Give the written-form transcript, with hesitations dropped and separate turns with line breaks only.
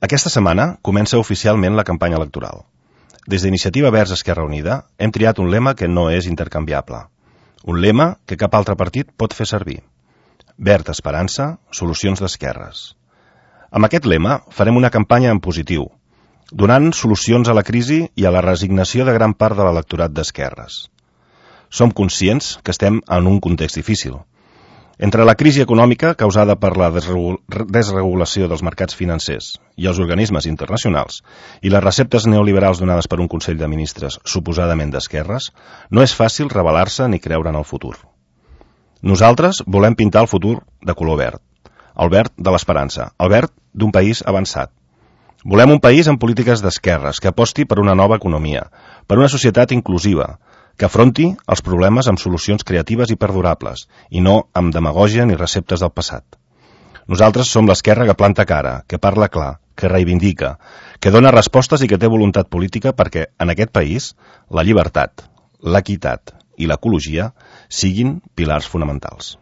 Aquesta setmana comença oficialment la campanya electoral. Des d'Iniciativa Verds Esquerra Unida hem triat un lema que no és intercanviable. Un lema que cap altre partit pot fer servir. Verd Esperança, solucions d'esquerres. Amb aquest lema farem una campanya en positiu, donant solucions a la crisi i a la resignació de gran part de l'electorat d'esquerres. Som conscients que estem en un context difícil. Entre la crisi econòmica causada per la desregulació dels mercats financers i els organismes internacionals i les receptes neoliberals donades per un Consell de Ministres suposadament d'esquerres, no és fàcil rebel·lar-se ni creure en el futur. Nosaltres volem pintar el futur de color verd, el verd de l'esperança, el verd d'un país avançat. Volem un país amb polítiques d'esquerres que aposti per una nova economia, per una societat inclusiva, que afronti els problemes amb solucions creatives i perdurables, i no amb demagògia ni receptes del passat. Nosaltres som l'esquerra que planta cara, que parla clar, que reivindica, que dona respostes i que té voluntat política perquè en aquest país la llibertat, l'equitat i l'ecologia siguin pilars fonamentals.